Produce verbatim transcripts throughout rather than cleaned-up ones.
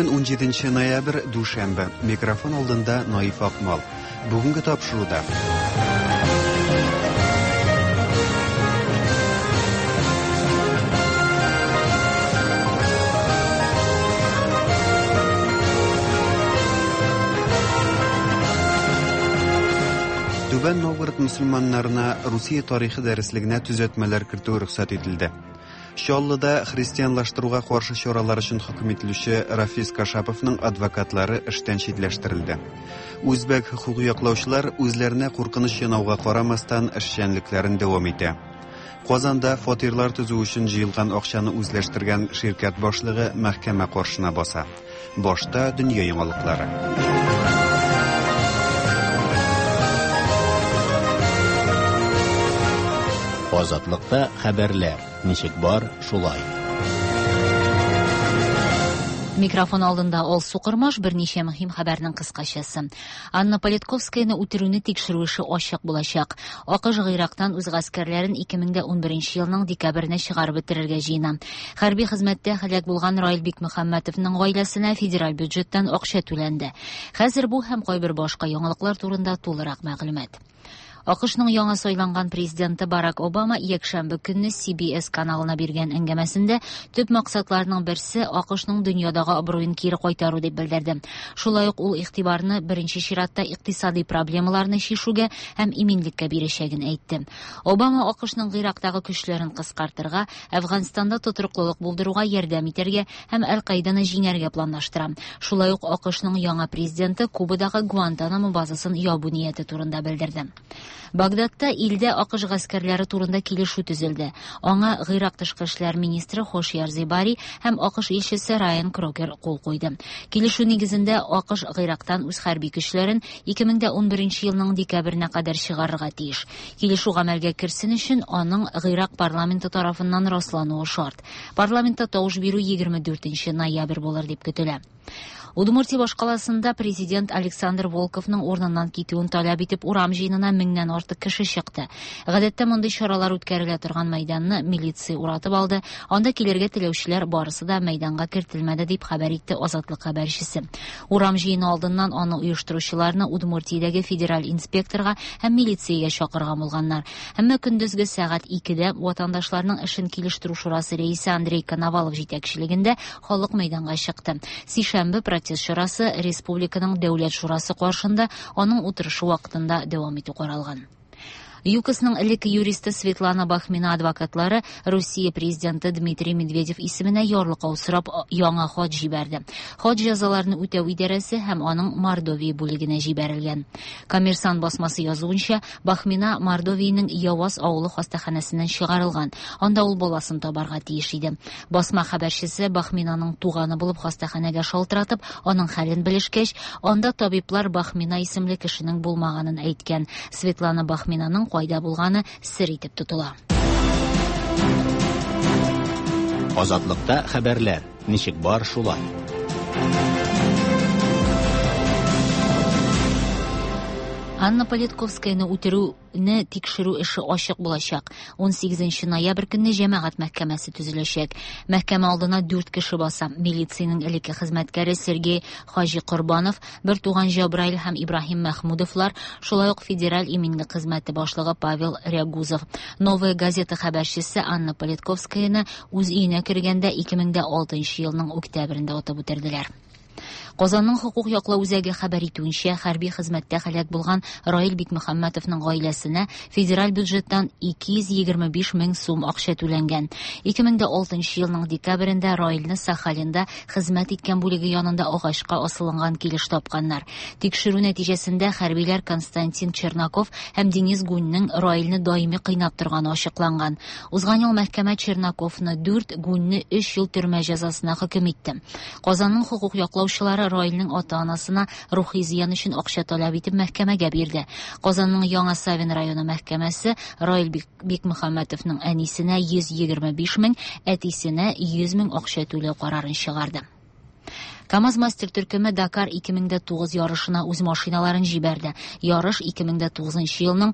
Бүген унҗиденче ноябрь, дүшәмбе. Микрофон алдында Наиф Акмал. Бүгенге тапшыруда. Түбән Новгород мөселманнарына Русия тарихы дәреслегенә төзәтмәләр кертү рөхсәт ителде. Чаллыда христианлаштыруга каршы чаралар өчен хөкем ителүче Рафис Кашаповның адвокатлары эштән читләштерелде. Үзбәк хокук яклаучылар үзләренә куркыныч янауга карамастан эшчәнлекләрен дәвам итә. Казанда фатирлар төзү өчен җыелган акчаны үзләштергән ширкәт башлыгы мәхкәмә каршына баса. Башта дөнья яңалыклары. Азатлыкта хәбәрләр ничек бар, шулай. Микрофон алдында Алсу Кормаш, берничә мөһим хәбәрнең кыскачасы. Анна Политковскаяны үтерүне тикшерү эше ачык булачак. АКШ Гыйрактан үз гаскәрләрен ике мең дә унберенче елның декабренә чыгарып бетерергә җыена. Хәрби хезмәттә һәлак булган Раил Бикмөхәммәтовның гаиләсенә федераль бюджеттан акча түләнде. Хәзер бу һәм кайбер башка яңалыклар турында тулырак мәгълүмат. АКШның яңа сайланган президенты Барак Обама якшәмбе көнне Си Би Эс каналына биргән әңгәмәсендә төп максатларының берсе АКШның дөньядагы абруен кире кайтару дип белдерде. Шулай ук ул игътибарны беренче чиратта икътисади проблемаларны чишүгә һәм иминлеккә бирәчәген әйтте. Обама АКШның Гыйрактагы көчләрен кыскартырга, Әфганстанда тотрыклылык булдыруга ярдәм итәргә һәм Әл-Каиданы җиңәргә планлаштыра. Шулай ук АКШның яңа президенты Кубадагы Гуантанамо базасын ябу нияте турында белдерде. Багдадта илдә АКШ гаскәрләре турында килешү төзелде. Аңа Гыйрак тышкы эшләр министры Хошияр Зибари һәм АКШ илчесе Райан Крокер кул куйды. Килешү нигезендә АКШ Гыйрактан үз хәрби көчләрен ике мең дә унберенче елның декабренә кадәр чыгарырга тиеш. Килешү гамәлгә керсен өчен аның Гыйрак парламенты тарафыннан раслануы шарт. Парламентта тавыш бирү егерме дүртенче ноябрь булыр дип көтелә. Удмуртия башкаласында президент Александр Волковның урыныннан китүен таләп итеп урам җыенына меңнән артык кеше чыкты. Гадәттә мондый чаралар үткәрелә торган мәйданны милиция уратып алды. Анда килергә теләүчеләр барысы да мәйданга кертелмәде дип хәбәр итте Азатлык хәбәрчесе. Урам җыены алдыннан аны оештыручыларны Удмуртиядәге федераль инспекторга һәм милициягә чакырган булганнар. Әмма көндезге сәгать икедә ватандашларның эшен килештерү шурасы рәисе Андрей Коновалов җитәкчелегендә халык мәйданга чыкты. Сишәмбе протест чарасы Республиканың Дәүләт шурасы каршында аның утырышы вакытында дәвам итү каралган. ЮКОСның элекке юристы Светлана Бахмина адвокатлары Русия президенты Дмитрий Медведев исеменә ярлыкау сорап яңа хат җибәрде. Хат җәзаларны үтәү идарәсе һәм аның Мордовия бүлегенә җибәрелгән. Коммерсант басмасы язуынча, Бахмина Мордовиянең Яваз авылы хастаханәсеннән чыгарылган. Анда ул баласын табарга тиеш иде. Басма хәбәрчесе Бахминаның туганы булып хастаханәгә шалтыратып, аның хәлен белешкәч, анда табиблар Бахмина исемле кешенең булмаганын әйткән. Светлана Бахминаның кайда булганы сер итеп тотыла. Азатлыкта хәбәрләр ничек бар шулай. Анна Политковскаяны үтерүне тикшерү эше ачык булачак. Унсигезенче ноябрь көнне җәмәгать мәхкәмәсе төзеләчәк. Мәхкәмә алдына дүрт кеше баса. Милициянең элекке хезмәткәре Сергей Хаҗи Корбанов, бер туган Җабраил һәм Ибраһим Мәхмүдовлар, шулай ук федераль иминлек хезмәте башлыгы Павел Рягузов. Новая газета хәбәрчесе Анна Политковскаяны үз өенә кергәндә ике мең дә алтынчы елның октябрендә атып үтерделәр. Казанның хокук яклау үзәге хәбәр итүенчә, хәрби хезмәттә һәлак булган Раил Бикмөхәммәтовның гаиләсенә федераль бюджеттан ике йөз егерме биш мең сум акча түләнгән. Ике мең дә алтынчы елның декабрендә Раилне Сахалинда хезмәт иткән бүлеге янында агачка асылынган килеш тапканнар. Тикшерү нәтиҗәсендә хәрбиләр Константин Чернаков һәм Денис Гуньның Раилне даими кыйнап торганы ачыкланган. Узган ел мәхкәмә Чернаковны дүрт, Гуньны өч ел төрмә җәзасына хөкем итте. Казанның хокук яклаучылары Раилнең ата-анасына рухи зыян өчен акча таләп итеп мәхкәмәгә бирде. Казанның Яңа Савин районы мәхкәмәсе Раил Бик-, Бикмөхәммәтовның әнисенә йөз егерме биш мең, әтисенә йөз мең акча түләү карарын чыгарды. КАМАЗ мастер төркеме Дакар ике мең дә тугыз ярышына үз машиналарын җибәрде. Ярыш ике мең дә тугызынчы елның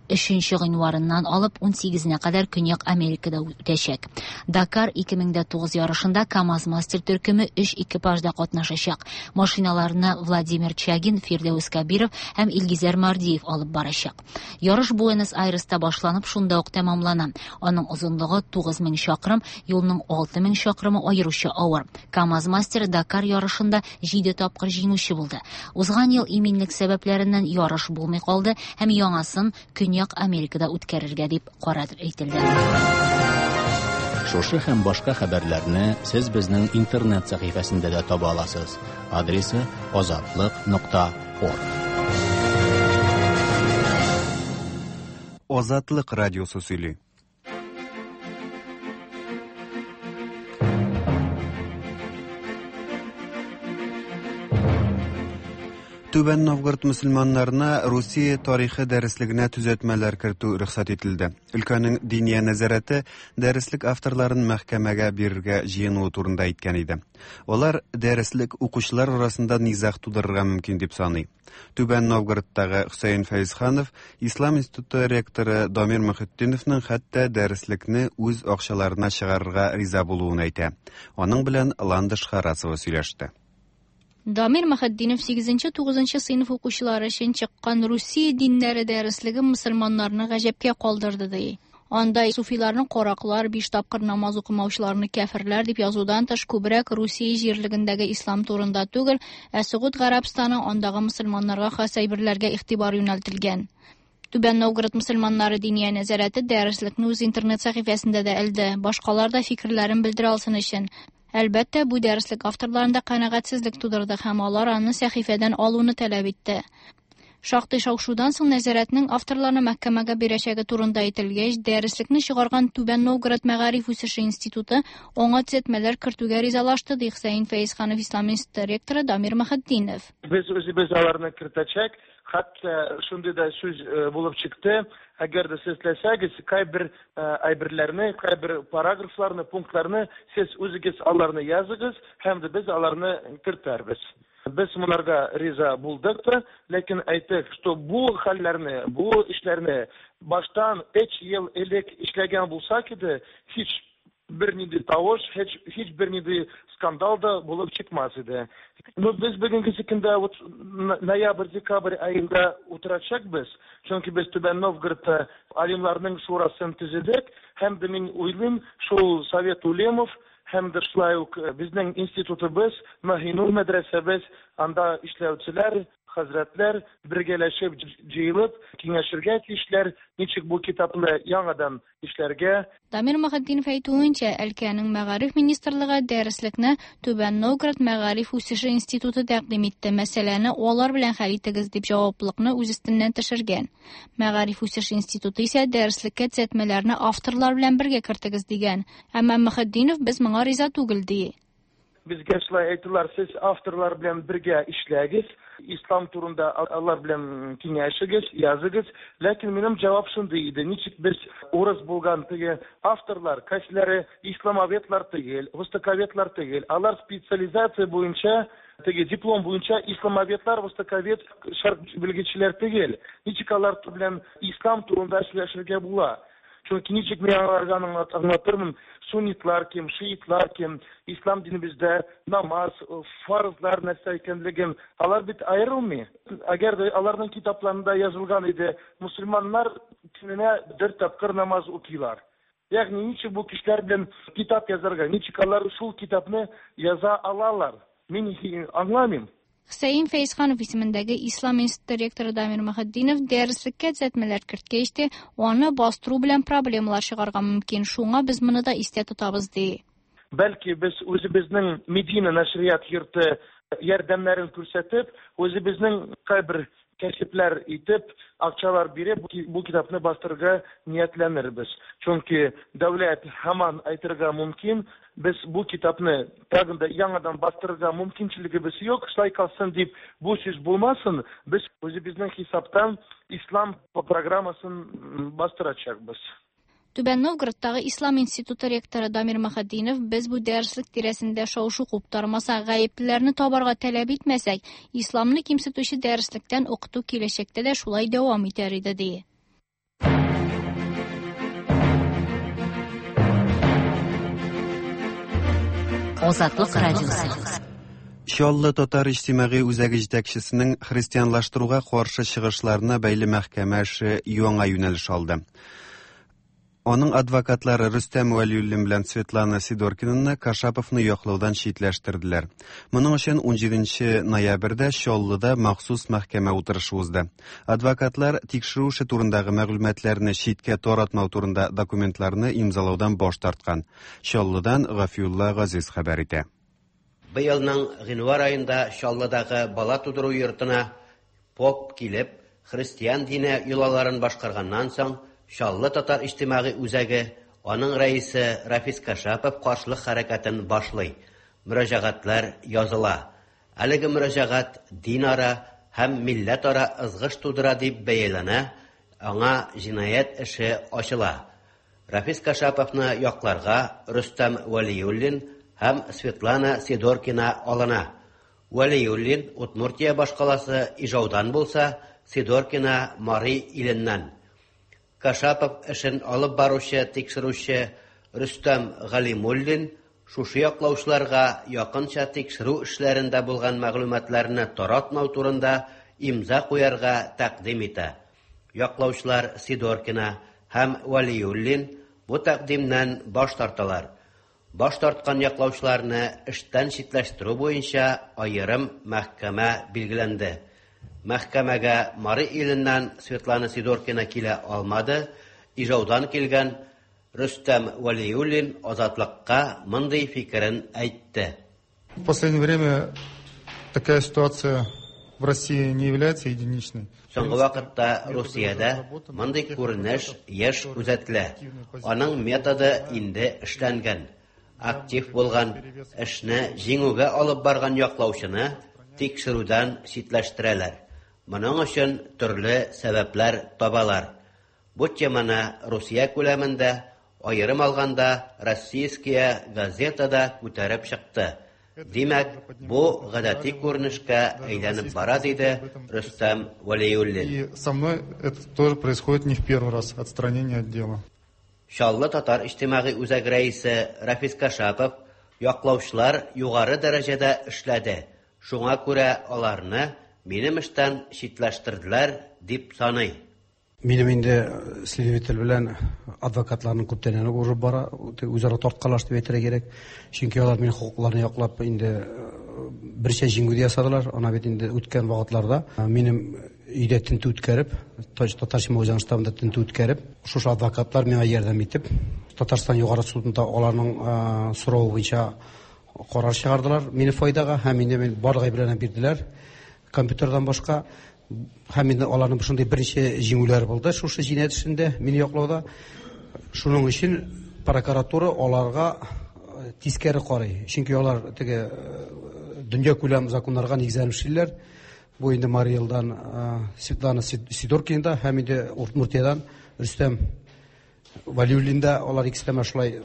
өченче гыйнварыннан алып унсигезенә кадәр Көньяк Америкада үтәчәк. Дакар ике мең дә тугыз ярышында КАМАЗ-мастер төркеме өч экипажда катнашачак. Машиналарны Владимир Чагин, Фирдәүс Кәбиров һәм Илгизәр Мардиев алып барачак. Ярыш Буэнос-Айреста башланып, шунда ук тәмамлана. Аның озынлыгы тугыз мең чакрым, юлның алты мең чакрымы аеруча авыр. КАМАЗ-мастер Дакар ярышында җиде тапкыр җиңүче булды. Узган ел иминлек сәбәпләреннән ярыш булмый калды һәм яңасын Көньяк Америкада үткәрергә дип карар ителде. Шушы һәм башка хәбәрләрне сез безнең интернет сәхифәсендә дә таба аласыз. Адресы азатлык нокта орг. Азатлык радиосы сөйли. Түбән Новгород мөселманнарына Русия тарихы дәреслегенә төзәтмәләр кертү рөхсәт ителде. Өлкәнең диния нәзарәте дәреслек авторларын мәхкәмәгә бирергә җыенуы турында әйткән иде. Алар дәреслек укучылар арасында низаг тудырырга мөмкин дип саный. Түбән Новгородтагы Хөсәен Фәйзханов Ислам институты ректоры Дамир Мөхетдиновның хәтта дәреслекне үз акчаларына чыгарырга риза булуын әйтә. Аның белән Ландыш Харасова сөйләште. Дамир Мөхетдинов сигезенче тугызынчы сыйныф укучылары өчен чыккан Русия диннәре дәреслеге мөселманнарны гаҗәпкә калдырды ди. Анда суфиларны караклар, биш тапкыр намаз укымаучыларны кәферләр дип язудан тыш күбрәк Русия җирлегендәге ислам турында түгел, ә Согуд Гарәбстаны андагы мөселманнарга хас әйберләргә игътибар юнәлтелгән. Түбән Новгород мөселманнары диния нәзарәте дәреслекне үз интернет сәхифәсендә дә элде, башкалар да фикерләрен белдерә алсын өчен. Әлбәттә, бу дәреслек авторларында канәгатьсезлек тудырды һәм алар аны сәхифәдән алуны таләп итте. Шактый шау-шудан соң нәзарәтнең авторларны мәхкәмәгә бирәчәге турында әйтелгәч, дәреслекне чыгарган Түбән Новгород Мәгариф үсеше институты аңа төзәтмәләр кертүгә ризалашты, ди Хөсәен Фәйзханов Ислам институты ректоры Дамир Мөхетдинов. Без үзебез аларны кертәчәк, хәтта шундый да сүз булып чыкты. Әгәр дә сез теләсәгез, кайбер әйберләрне, кайбер параграфларны, пунктларны сез үзегез аларны языгыз һәм дә без аларны кертәрбез. Без монарга риза булдык та, ләкин әйттек, что бу хәлләрне, бу эшләрне баштан өч ел элек эшләгән булсак иде, һич бер нинди тавыш, һич, һич бер нинди скандал да булып чыкмас иде. Но без бүгенге көндә вот ноябрь, декабрь аенда утырачакбыз, чөнки без Түбән Новгородта алимларның шурасын төзедек, һәм дә мин уйлыйм, шул Совет Улемов һәм дә шулай ук безнең институтыбыз, Маһинур мәдрәсәбез, анда эшләүчеләр, хәзрәтләр бергәләшеп җыелып киңәшергә тиешләр, ничек бу китапны яңадан эшләргә. Дамир Мөхетдинов әйтүенчә, өлкәнең мәгариф министрлыгы дәреслекне Түбән Новгород Мәгариф үсеше институты тәкъдим итте. Мәсьәләне алар белән хәл итегез дип җаваплылыкны үз өстеннән төшергән. Мәгариф үсеше институты исә дәреслеккә төзәтмәләрне авторлар белән бергә кертегез дигән. Әмма Мөхетдинов без моңа риза түгел ди. Безгә шулай әйттеләр, сез авторлар белән бергә эшләгез, ислам турында алар белән киңәшегез, языгыз. Ләкин минем җавап шундый иде: ничек без урыс булган теге авторлар, кайсылары исламоведлар түгел, востоковедлар түгел, алар специализация буенча, теге диплом буенча исламоведлар, востоковед, шәрк белгечләр түгел. Ничек алар белән ислам турында сөйләшергә була? Чөнки ничек мин аларга аңлатырмын, суннитлар кем, шиитлар кем, ислам динебездә намаз, фарызлар нәрсә икәнлеген, алар бит аерылмый. Әгәр дә аларның китапларында язылган иде, мөселманнар көненә бер тапкыр намаз укыйлар. Ягъни ничек бу кешеләр белән китап язарга, ничек алар шул китапны яза алалар? Мин аңламыйм. Хөсәен Фәйзханов исемендәге Ислам институты ректоры Дамир Мөхетдинов дәреслеккә төзәтмәләр керткәч тә, аны бастыру белән проблемалар чыгарга мөмкин. Шуңа без моны да истә тотабыз, ди. Бәлки без үзебезнең Медина нәшрият йорты ярдәмнәрен күрсәтеп, үзебезнең кайбер кәсепләр итеп, акчалар биреп, бу китапны бастырырга ниятләнербез. Чөнки дәүләт һаман әйтергә мөмкин, без бу китапны тагын да яңадан бастырырга мөмкинчелегебез юк, шулай калсын дип бу сүз булмасын, без үзебезнең хисаптан ислам программасын бастырачакбыз. Түбән Новгородтагы Ислам институты ректоры Дамир Мөхетдинов без бу дәреслек тирәсендә шау-шу куптармасак, гаеплеләрне табарга таләп итмәсәк, исламны кимсетүче дәреслектән укыту киләчәктә дә шулай дәвам итәр иде, ди. Азатлык радиосы. Чаллы татар иҗтимагый үзәге җитәкчесенең христианлаштыруга каршы чыгышларына бәйле мәхкәмә эше яңа юнәлеш алды. Аның адвокатлары Рөстәм Вәлиуллин белән Светлана Сидоркинаны Кашаповны яклаудан читләштерделәр. Моның өчен унҗиденче ноябрьдә Чаллыда махсус мәхкәмә утырышы узды. Адвокатлар тикшерү эше турындагы мәгълүматларны читкә таратмау турында документларны имзалаудан баш тарткан. Чаллыдан Гафиулла Газиз хәбәр итә. Быелның гыйнвар аенда Чаллыдагы бала тудыру йортына поп килеп, христиан дине йолаларын башкарганнан соң, Чаллы татар иҗтимагый үзәге, аның рәисе Рафис Кашапов каршылык хәрәкәтен башлый. Мөрәҗәгатьләр языла. Әлеге мөрәҗәгать динара һәм милләтара ызгыш тудыра дип бәяләнә, аңа җинаять эше ачыла. Рафис Кашаповны якларга Рөстәм Вәлиуллин һәм Светлана Сидоркина алына. Вәлиуллин Удмуртия башкаласы Ижаудан булса, Сидоркина Мари иленнән. Кашапов эшен алып баручы, тикшерүче Рөстәм Галимуллин шушы яклаучыларга якынча тикшерү эшләрендә булган мәгълүматларны таратмау турында имза куярга тәкъдим итә. Яклаучылар Сидоркина һәм Вәлиуллин бу тәкъдимнән баш тарталар. Баш тарткан яклаучыларны эштән читләштерү буенча аерым мәхкәмә билгеләнде. Мәхкәмәгә Мари иленнән Светлана Сидоркина килә алмады. Ижаудан килгән Рөстәм Вәлиуллин Азатлыкка мондый фикерен әйтте. В последнее время такая ситуация в России не является единичной. Соңгы вакытта Русиядә мондый күренеш еш күзәтелә. Аның методы инде эшләнгән. Актив булган, эшне җиңүгә алып барган яклаучыны тикшерүдән читләштерәләр. Моның өчен төрле сәбәпләр табалар. Бу теманы Русия күләмендә, аерым алганда Российская газетада күтәреп чыкты. Димәк, бу гадәти күренешкә әйләнеп бара, диде Рөстәм Вәлиуллин. И со мной это тоже происходит не в первый раз, отстранение от дела. Чаллы татар иҗтимагый үзәк рәисе Рафис Кашапов яклаучылар югары дәрәҗәдә эшләде. Шуңа күрә аларны минем эштән читләштерделәр дип саный. Минем инде следователь белән адвокатларның күптәннән урып бара, үзара тарткалаш дип әйтергә кирәк. Чөнки алар минем хокукларны яклап инде берничә җиңү дә ясадылар. Ана бит инде үткән вакытларда минем өйдә тентү үткәреп, Татар иҗтимагый үзәге штабында тентү үткәреп, шушы адвокатлар миңа ярдәм итеп, Татарстан Югары судында аларның соравы буенча карар чыгардылар мине файдага һәм инде мин барлык әйберләрне бирделәр. Компьютердан башка һәм инде аларның шундый берничә җиңүләре булды шушы җинаять эшендә мине яклауда. Шуның өчен прокуратура аларга тискәре карый. Чөнки алар теге дөнья күләм законнарга нигезләнеп эшлиләр. Бу инде Мари Элдан Светлана Сидоркина һәм инде Удмуртиядан Рөстәм Вәлиуллин да, алар икесе дә шулай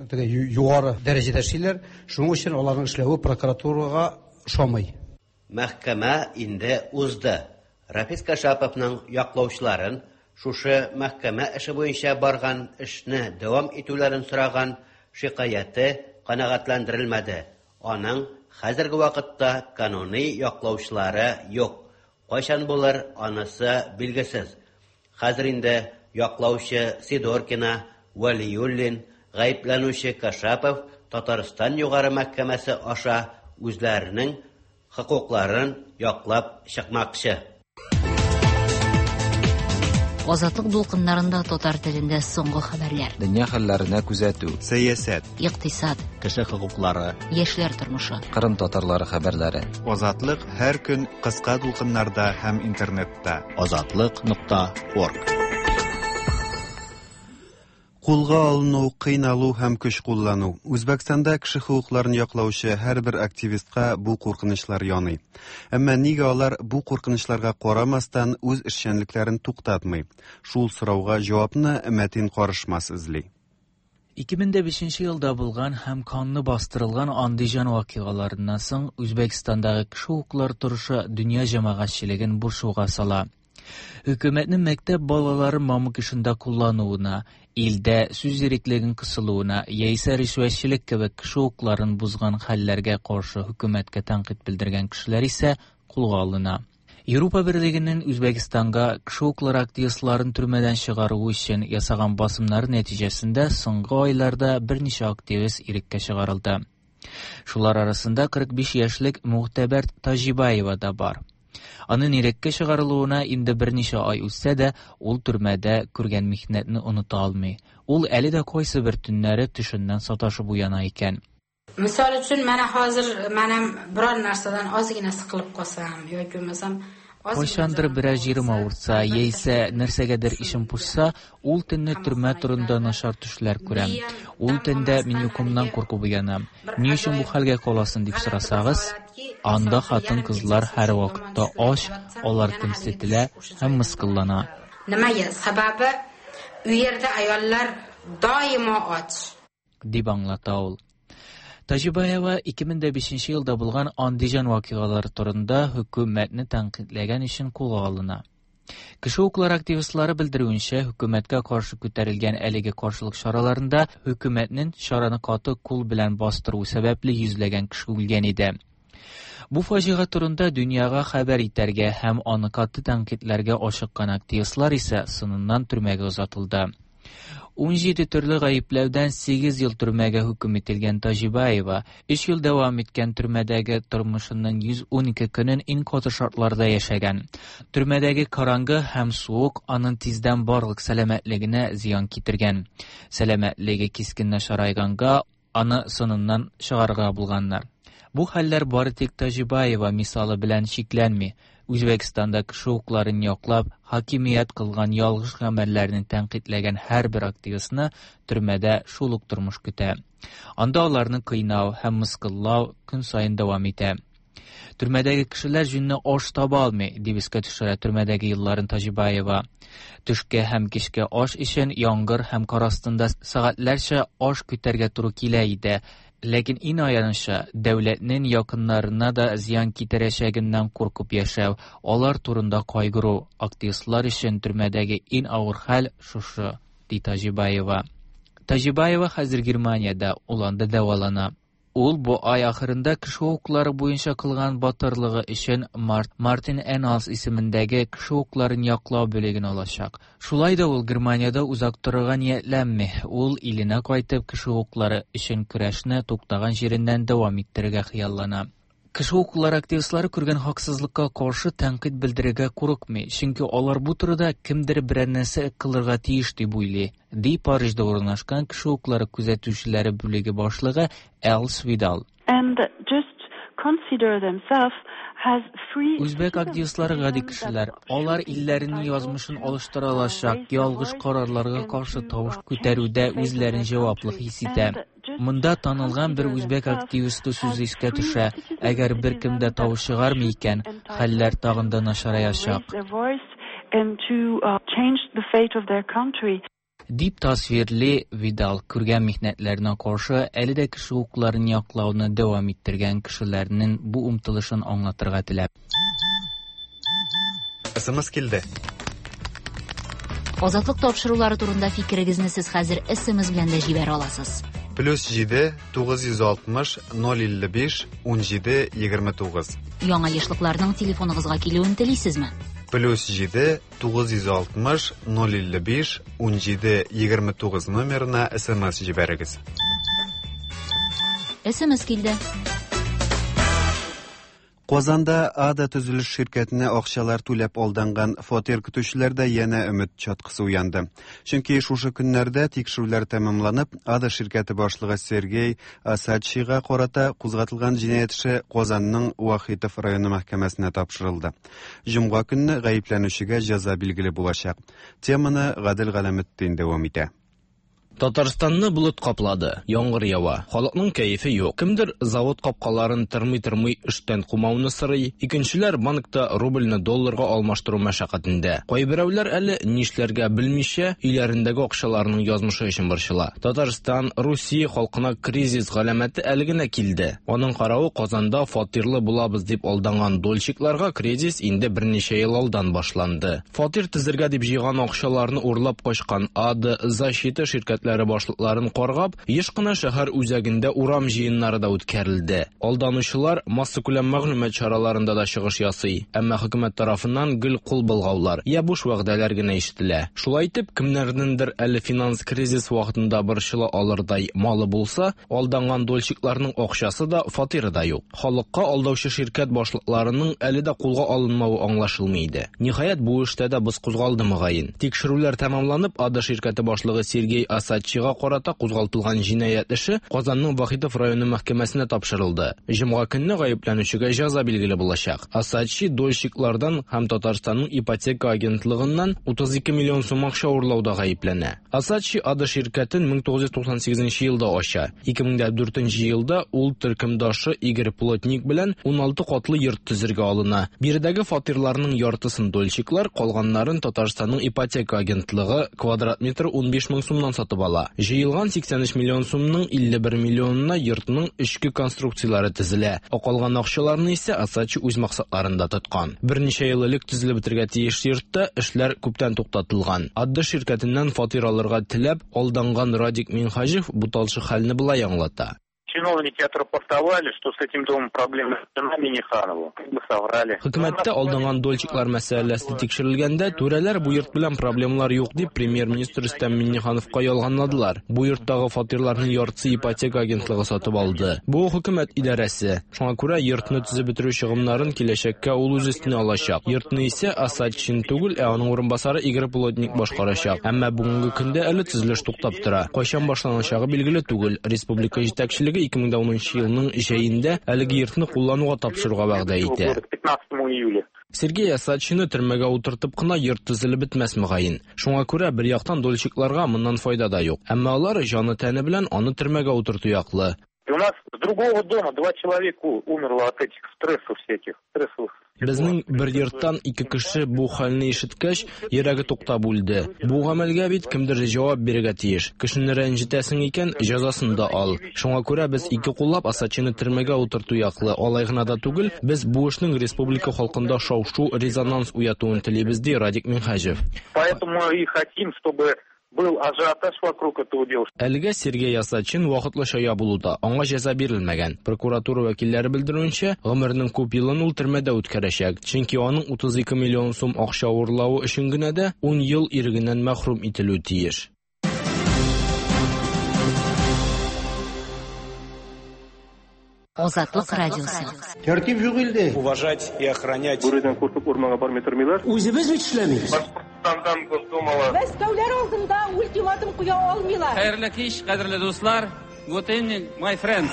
теге югары дәрәҗәдә эшлиләр. Шуның өчен аларның эшләве прокуратурага ошамый. Мәхкәмә инде узды. Рафис Кашаповның яклаучыларын шушы мәхкәмә эше буенча барган эшне дәвам итүләрен сораган шикаяте канәгатьләндерелмәде. Аның хәзерге вакытта кануни яклаучылары юк. Кайчан булыр, анысы билгесез. Хәзер инде яклаучы Сидоркина, Вәлиуллин, гаепләнүче Кашапов Татарстан Югары мәхкәмәсе аша үзләренең хокукларын яклап чыкмакчы. Азатлык дулкыннарында татар телендә соңгы хәбәрләр. Дөнья хәлләренә күзәтү, сәясәт, икътисад, кеше хокуклары, яшьләр тормышы, Кырым татарлары хәбәрләре. Азатлык һәр көн кыска дулкыннарда һәм интернетта. Азатлык нокта орг. Кулга алыну, кыйналу һәм көч куллану. Үзбәкстанда кеше хокукларын яклаучы һәрбер активистка бу куркынычлар яный. Әмма нигә алар бу куркынычларга карамастан үз эшчәнлекләрен туктатмый? Шул сорауга җавапны Мәтин Карышмас эзли. ике мең дә бишенче елда булган һәм канлы бастырылган Андижан вакыйгаларыннан соң Үзбәкстандагы кеше хокуклары торышы дөнья җәмәгатьчелеген борчуга сала. Хөкүмәтнең мәктәп балаларын мамык эшендә куллануына, илдә сүз иреклеген кысылуына яисә ришвәтчелек кебек кеше хокукларын бозган хәлләргә каршы хөкүмәткә тәнкыйть белдергән кешеләр исә кулга алына. Европа Берлегенең Үзбәкстанга кеше хокуклары активистларын төрмәдән чыгаруы өчен ясаган басымнары нәтиҗәсендә соңгы айларда берничә активист иреккә чыгарылды. Шулар арасында кырык биш яшьлек Мугтәбәр Таҗибаева да бар. Аның иреккә чыгарылуына инде берничә ай үтсә дә, ул төрмәдә күргән михнәтне оныта алмый. Ул әле дә кайсы бер төннәре төшеннән саташып уяна икән. Misol uchun, mana hozir men ham biror narsadan ozgina siqilib qolsam yoki bo'lmasam Кайчандыр берәр җирем авыртса, яисә нәрсәгәдер ишем пошса, ул төнне төрмә турында начар төшләр күрәм. Ул төндә мин йокымнан куркып уянам. Ни өчен бу хәлгә каласың дип сорасагыз, анда хатын-кызлар һәр вакытта ач, алар кимсетелә һәм мыскыллана. Nimaga? Sababi u yerda ayollar doimo och, дип аңлата ул. Таҗибаева ике мең дә бишенче елда булган Андижан вакыйгалары турында хөкүмәтне тәнкыйтьләгән өчен кулга алына. Кеше хокуклары активистлары белдерүенчә, хөкүмәткә каршы күтәрелгән әлеге каршылык чараларында хөкүмәтнең чараны каты кул белән бастыруы сәбәпле йөзләгән кеше үлгән иде. Бу фаҗига турында дөньяга хәбәр итәргә һәм аны каты тәнкыйтьләргә ашыккан активистлар исә сыныннан төрмәгә озатылды. Ун җиде төрле гаепләүдән сигез ел төрмәгә хөкем ителгән Таҗибаева өч ел дәвам иткән төрмәдәге тормышының йөз ун ике көнен иң каты шартларда яшәгән. Төрмәдәге караңгы һәм суык аның тиздән барлык сәламәтлегенә зыян китергән. Сәламәтлеге кискен начарайганга аны сыныннан чыгарырга булганнар. Бу хәлләр бары тик Таҗибаева мисалы белән чикләнми. Үзбәкстанда кеше хокукларын яклап, хакимият кылган ялгыш гамәлләрне тәнкыйтьләгән һәрбер активистны төрмәдә шул ук тормыш көтә. Анда аларны кыйнау һәм мыскыллау көн саен дәвам итә. Төрмәдәге кешеләр җүнне аш таба алмый, дип искә төшерә төрмәдәге елларын Таҗибаева. Төшкә һәм кичке аш өчен яңгыр һәм кар астында сәгатьләрчә аш көтәргә туры килә иде. Ләкин иң аянычы, дәүләтнең якыннарына да зыян китерәчәгеннән куркып яшәү, алар турында кайгыру, активистлар өчен төрмәдәге иң авыр хәл шушы, ди Таҗибаева. Таҗибаева хәзер Германиядә, ул анда дәвалана. Ул бу ай ахырында кеше хокуклары буенча кылган батырлыгы өчен Мартин Эналс исемендәге кеше хокукларын яклау бүлеген алачак. Шулай да ул Германиядә озак торырга ниятләнми. Ул иленә кайтып кеше хокуклары өчен көрәшне туктаган җиреннән дәвам иттерергә хыяллана. Кеше хокуклары активистлары күргән хаксызлыкка каршы тәнкыйть белдерергә курыкмый, чөнки алар бу турыда кемдер берәр нәрсә кылырга тиеш дип уйлый, ди Парижда урнашкан кеше хокуклары күзәтүчеләре бүлеге башлыгы Элс Видал. And just consider themselves as free. Үзбәк активистлары гади кешеләр. Алар илләренең язмышын алыштыра алачак ялгыш карарларга каршы тавыш күтәрүдә үзләрен җаваплы хис итә. Монда танылган бер үзбәк активисты сүзе искә төшә. Әгәр беркем дә тавыш чыгармый икән, хәлләр тагын да начараячак. Дип тасвирли Видал күргән михнәтләренә каршы әле дә кеше хокукларын яклауны дәвам иттергән кешеләрнең бу омтылышын аңлатырга теләп. Эс эм эс килде. Азатлык тапшырулары турында фикерегезне сез хәзер эс эм эс белән дә җибәрә аласыз. Плюс җиде, тугыз йөз алтмыш, ноль илле биш, ун җиде, егерме тугыз. Яңа ешлыкларның телефоныгызга килүен телисезме? Плюс җиде, тугыз йөз алтмыш, ноль илле биш, ун җиде, егерме тугыз номерына эс эм эс җибәрегез. эс эм эс килде. Казанда Ада төзелеш ширкәтенә акчалар түләп алданган фатир көтүчеләрдә янә өмет чаткысы уянды. Чөнки шушы көннәрдә тикшерүләр тәмамланып, Ада ширкәте башлыгы Сергей Асадчига карата кузгатылган җинаять эше Казанның Вахитов районы мәхкәмәсенә тапшырылды. Җомга көнне гаепләнүчегә җәза билгеле булачак. Теманы Гадел Галәметдин дәвам итә. Татарстанны болыт каплады, яңгыр ява. Халыкның кәефе юк. Кемдер завод капкаларын тырмый-тырмый эштән кумауны сорый, икенчеләр банкта рубльне долларга алмаштыру мәшәкатендә. Кайберәүләр әле нишләргә белмичә, өйләрендәге акчаларының язмышы өчен борчыла. Татарстан, Русия халкына кризис галәмәте әле генә килде. Аның каравы Казанда фатирлы булабыз дип алданган дольщикларга кризис инде берничә ел алдан башланды. Фатир төзергә дип җыйган акчаларны урлап качкан АД Защита ширкәтләре башлыкларын каргап, еш кына шәһәр үзәгендә урам җыеннары да үткәрелде. Алданучылар массакүләм мәгълүмат чараларында да чыгыш ясый, әмма хөкүмәт тарафыннан гел кул болгаулар, я буш вәгъдәләр генә ишетелә. Шулай итеп, кемнәрнеңдер әле финанс кризис вакытында борчыла алырдай малы булса, алданган дольщикларның акчасы да, фатиры да юк. Халыкка алдаучы ширкәт башлыкларының әле дә кулга алынмавы аңлашылмый иде. Ниһаять, бу эштә дә боз кузгалды мөгаен. Тикшерүләр тәмамланып, АД ширкәте башлыгы Сергей Осадчийга карата кузгалтылган җинаять эше Казанның Вахитов районы мәхкәмәсенә тапшырылды. Җомга көнне гаепләнүчегә җәза билгеле булачак. Осадчий дольщиклардан һәм Татарстанның ипотека агентлыгыннан утыз ике миллион сум акча урлауда гаепләнә. Осадчий АД ширкәтен мең тугыз йөз туксан сигезенче елда ача. Ике мең дә дүртенче елда ул төркемдашы Игорь Плотник белән уналты катлы йорт төзергә алына. Биредәге фатирларның яртысын дольщиклар, калганнарын Татарстанның ипотека агентлыгы квадрат метр унбиш мең сумнан сатып ала. Җыелган сиксән өч миллион сумның илле бер миллионына йортның эчке конструкцияләре төзелә. Ә калган акчаларны исә Осадчий үз максатларында тоткан. Берничә ел элек төзелеп бетергә тиеш йортта эшләр күптән туктатылган. АД ширкәтеннән фатир алырга теләп алданган Радик Минхаҗев бу талчык хәлне болай аңлата. Чиновники отрапортовали, что с этим домом проблемы с Минниханову. Как бы соврали. Хөкүмәттә алданган дольщиклар мәсьәләсе тикшерелгәндә, түрәләр бу йорт белән проблемалар юк дип премьер-министр Рөстәм Миннихановка ялганладылар. Бу йорттагы фатирларның яртысы ипотека агентлыгы сатып алды. Бу хөкүмәт идарәсе. Шуңа күрә йортны төзеп бетерү чыгымнарын киләчәккә ул үз өстенә алачак. Йортны исә Осадчин түгел, ә аның урынбасары Игорь Плотник башкарачак. Әмма бүгенге көндә әле төзелеш туктап тора. Кайчан башланачагы билгеле түгел. Республика җитәкчелеге ике мең дә унынчы елның җәендә әлеге йортны куллануга тапшыруга вәгъдә итә. Сергей Осадчийны төрмәгә утыртып кына йорт төзелеп бетмәс мөгаен. Шуңа күрә бер яктан дольщикларга моннан файда да юк. Әмма алар җаны тәне белән аны төрмәгә утырту яклы. У нас с другого дома два человека умерло от этих стрессов всяких, стрессовых. Безнең бер йорттан ике кеше бу хәлне ишеткәч, йөрәге туктап үлде. Бу гамәлгә бит кемдер җавап бирергә тиеш. Кешене рәнҗетәсең икән, җәзасын да ал. Шуңа күрә без ике куллап Осадчийны төрмәгә утырту яклы. Алай гына да түгел, без бу эшнең республика халкында шау-шу, резонанс уятуын телибез, ди Радик Минхаҗев. Поэтому и хотим, чтобы был ажиотаж вокруг этого дела. Әлегә Сергей Осадчин вакытлыча ябылуда, аңа җәза бирелмәгән. Прокуратура вәкилләре белдерүенчә, гомеренең күп елын ул төрмәдә үткәрәчәк. Чөнки аның утыз ике миллион сум акча урлавы өчен генә дә ун ел ирегеннән мәхрүм ителү тиеш. Азатлык радиосы. Тәртип юк илдә. Уважать и охранять. Бүредән куркып урманга бармый тормыйлар. Үзебез бит эшләмибез. Башкортстандан Госдумала. Мәскәүләр алдында ультиматум куя алмыйлар. Хәерле кич, кадерле дуслар. Good evening, my friends.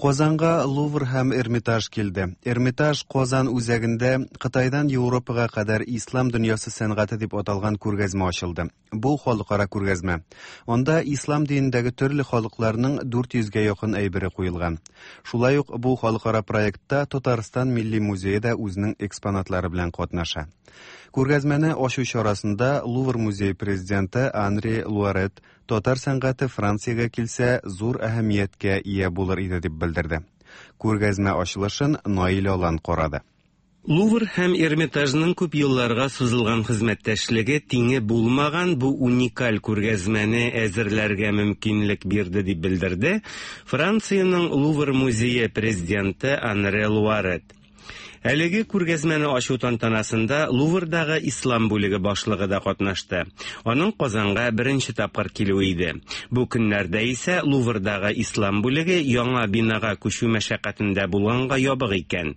Казанга Лувр һәм Эрмитаж килде. Эрмитаж Казан үзәгендә Кытайдан Европага кадәр ислам дөньясы сәнгате дип аталган күргәзмә ачылды. Бу халыкара күргәзмә. Анда ислам динендәге төрле халыкларның дүрт йөзгә якын әйбере куелган. Шулай ук бу халыкара проектта Татарстан Милли музее да үзенең экспонатлары белән катнаша. Күргәзмәне ачу чарасында Лувр музее президенты Анри Луарет татар сәнгате Франциягә килсә зур әһәмияткә ия булыр иде дип белдерде. Күргәзмә ачылышын Наил Алан карады. Лувр һәм Эрмитажның күп елларга сузылган хезмәттәшлеге тиңе булмаган бу уникаль күргәзмәне әзерләргә мөмкинлек бирде дип белдерде Франциянең Лувр музее президенты Анри Луарет. Әлеге күргәзмәне ачу тантанасында Луврдагы ислам бүлеге башлыгы да катнашты. Аның Казанга беренче тапкыр килүе иде. Бу көннәрдә исә Луврдагы ислам бүлеге яңа бинага күчү мәшәкатендә булганга ябык икән.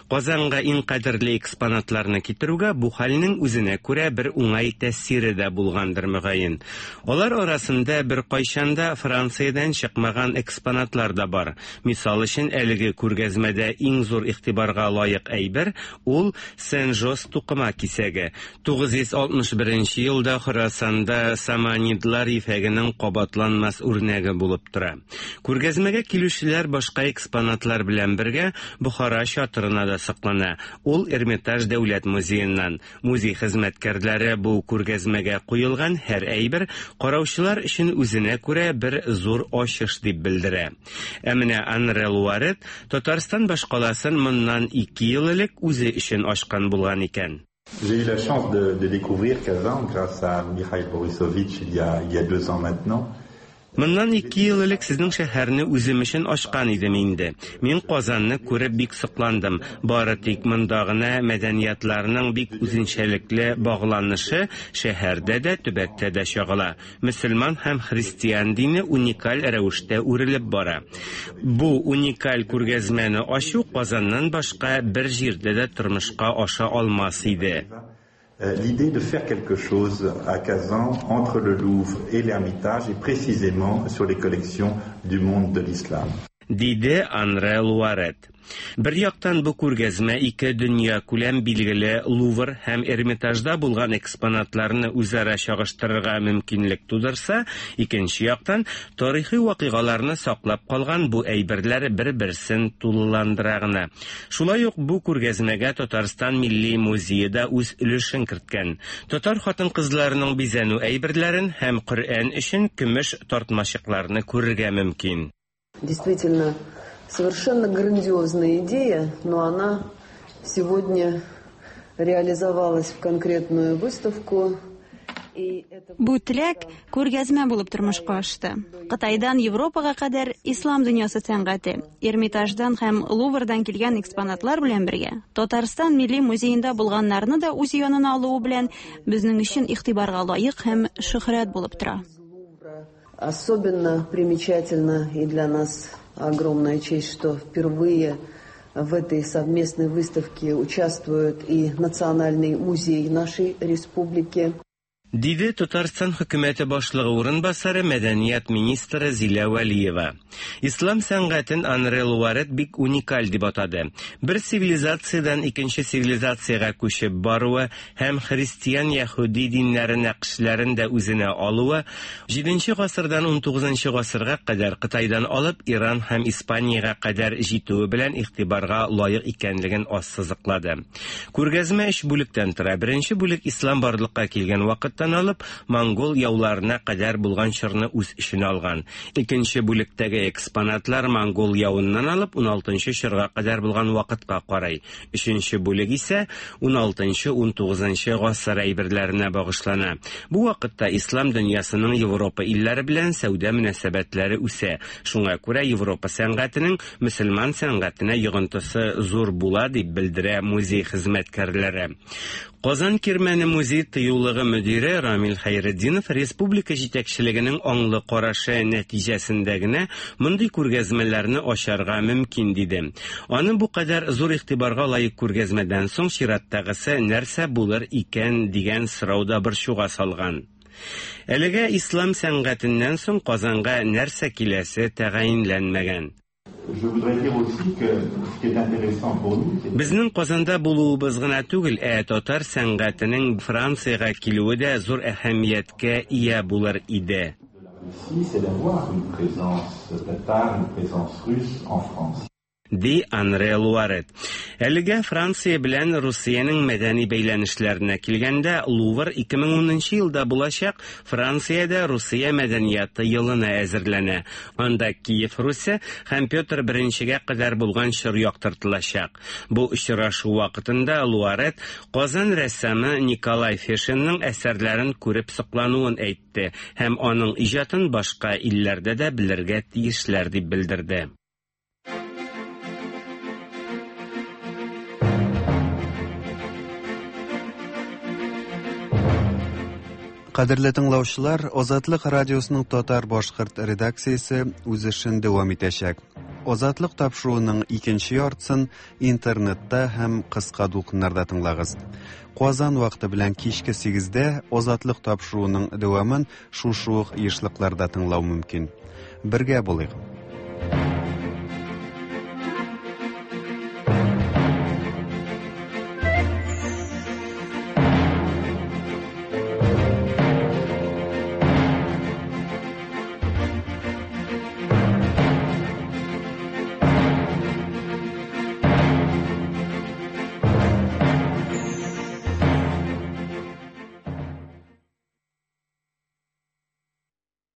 Казанга иң кадерле экспонатларны китерүгә бу хәлнең үзенә күрә бер уңай тәэсире дә булгандыр мөгаен. Алар арасында бер кайчан да Франциядән чыкмаган экспонатлар да бар. Мисал өчен, әлеге күргәзмәдә иң зур игътибарга лаек әйбер ул Сен-Жос тукыма кисәге. тугыз йөз алтмыш беренче елда Хорасанда саманидлар ефәгенең кабатланмас үрнәге булып тора. Күргәзмәгә килүчеләр башка экспонатлар белән бергә Бохара чатырына да саклана. Ул Эрмитаж дәүләт музееннан. Музей хезмәткәрләре бу күргәзмәгә куелган һәр әйбер караучылар өчен үзенә күрә бер зур ачыш дип белдерә. Ә менә Анре Луарет Татарстан башкаласын моннан ике ел элек үзе өчен ачкан булган икән. J'ai eu la chance de, de découvrir Kazan grâce à Mikhail Borisovich il y a, il y a deux ans maintenant. Моннан ике ел элек сезнең шәһәрне үзем өчен ачкан идем инде. Мин Казанны күреп бик сокландым. Бары тик монда гына мәдәниятларның бик үзенчәлекле багланышы шәһәрдә дә, төбәктә дә чагыла. Мөселман һәм христиан дине уникаль рәвештә үрелеп бара. Бу уникаль күргәзмәне ачу Казаннан башка бер җирдә дә тормышка аша алмас иде. L'idée de faire quelque chose à Kazan entre le Louvre et l'Ermitage et précisément sur les collections du monde de l'islam. Диде Анре Луарет. Бер яктан бу күргәзмә ике дөнья күләм билгеле Лувр һәм Эрмитажда булган экспонатларны үзара чагыштырырга мөмкинлек тудырса, икенче яктан тарихи вакыйгаларны саклап калган бу әйберләр бер-берсен тулыландыра гына. Шулай ук бу күргәзмәгә Татарстан Милли музее да үз өлешен керткән. Татар хатын-кызларының бизәнү әйберләрен һәм Коръән өчен көмеш тартмачыкларны күрергә мөмкин. Действительно, совершенно грандиозная идея, но она сегодня реализовалась в конкретную выставку. Бу теләк күргәзмә булып тормышка ашты. Кытайдан Европага кадәр ислам дөньясы сәнгате, Эрмитаждан һәм Луврдан килгән экспонатлар белән бергә Татарстан Милли музеенда булганнарны да үз янына алуы белән безнең өчен игътибарга лаек һәм шөһрәт булып тора. Особенно примечательно и для нас огромная честь, что впервые в этой совместной выставке участвует и Национальный музей нашей республики. Диде Татарстан хөкүмәте башлыгы урынбасары мәдәният министры Зилә Вәлиева. Ислам сәнгатен Анре Луарет бик уникаль дип атады. Бер цивилизациядән икенче цивилизациягә күчеп баруы һәм христиан яһүди диннәре нәкышләрен дә үзенә алуы җиденче гасырдан унтугызынчы гасырга кадәр Кытайдан алып Иран һәм Испаниягә кадәр җитүе белән игътибарга лаек икәнлеген ассызыклады. Күргәзмә өч бүлектән тора. Беренче бүлек ислам барлыкка килгән вакытта алып монгол яуларына кадәр булган чорны үз эченә алган. Икенче бүлектәге экспонатлар монгол явыннан алып уналтынчы чорга кадәр булган вакытка карай. Өченче бүлек исә уналтынчы унтугызынчы гасыр әйберләренә багышлана. Бу вакытта ислам дөньясының Европа илләре белән сәүдә мөнәсәбәтләре үсә. Шуңа күрә Европа сәнгатенең мөселман сәнгатенә йогынтысы зур була дип белдерә музей хезмәткәрләре. Казан Кирмәне музей тыюлыгы мөдире Рамил Хәйретдинов республика җитәкчелегенең аңлы карашы нәтиҗәсендә генә мондый күргәзмәләрне ачарга мөмкин диде. Аны бу кадәр зур игътибарга лаек күргәзмәдән соң чираттагысы нәрсә булыр икән дигән сорау да борчуга салган. Әлегә ислам сәнгатеннән соң Казанга нәрсә киләсе тәгаенләнмәгән. Безнең Казанда булуыбыз гына түгел, ә татар сәнгатенең Франциягә килүе дә зур әһәмияткә ия булыр иде. Ди Анре Луарет. Әлегә Франция белән Русиянең мәдәни бәйләнешләренә килгәндә, Лувр ике мең унынчы елда булачак Франциядә Русия мәдәнияты елына әзерләнә. Анда Киев Русе һәм Петр Беренчегә кадәр булган чор яктыртылачак. Бу очрашу вакытында Луарет Казан рәссамы Николай Фешинның әсәрләрен күреп соклануын әйтте һәм аның иҗатын башка илләрдә дә белергә тиешләр дип белдерде. Кадерле тыңлаучылар, Азатлык радиосының татар-башкорт редакциясе үз эшен дәвам итәчәк. Азатлык тапшыруының икенче яртысын интернетта һәм кыска дулкыннарда тыңлагыз. Казан вакыты белән кичке сигездә Азатлык тапшыруының дәвамын шушы ук ешлыкларда тыңлау мөмкин. Бергә булыйк.